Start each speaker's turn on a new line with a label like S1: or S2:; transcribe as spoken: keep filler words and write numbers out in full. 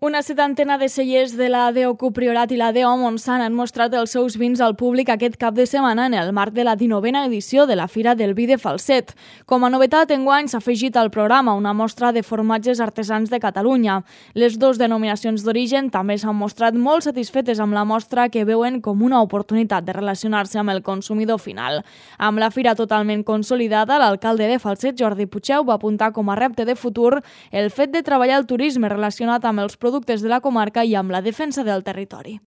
S1: Una setantena de cellers de la D O C U Priorat i la D O Montsant han mostrat els seus vins al públic aquest cap de setmana en el marc de la dinovena edició de la Fira del Vi de Falset. Com a novetat, enguany s'ha afegit al programa una mostra de formatges artesans de Catalunya. Les dues denominacions d'origen també s'han mostrat molt satisfetes amb la mostra, que veuen com una oportunitat de relacionar-se amb el consumidor final. Amb la fira totalment consolidada, l'alcalde de Falset, Jordi Pucheu, va apuntar com a repte de futur el fet de treballar el turisme relacionat amb els productes productes de la comarca i amb la defensa del territori.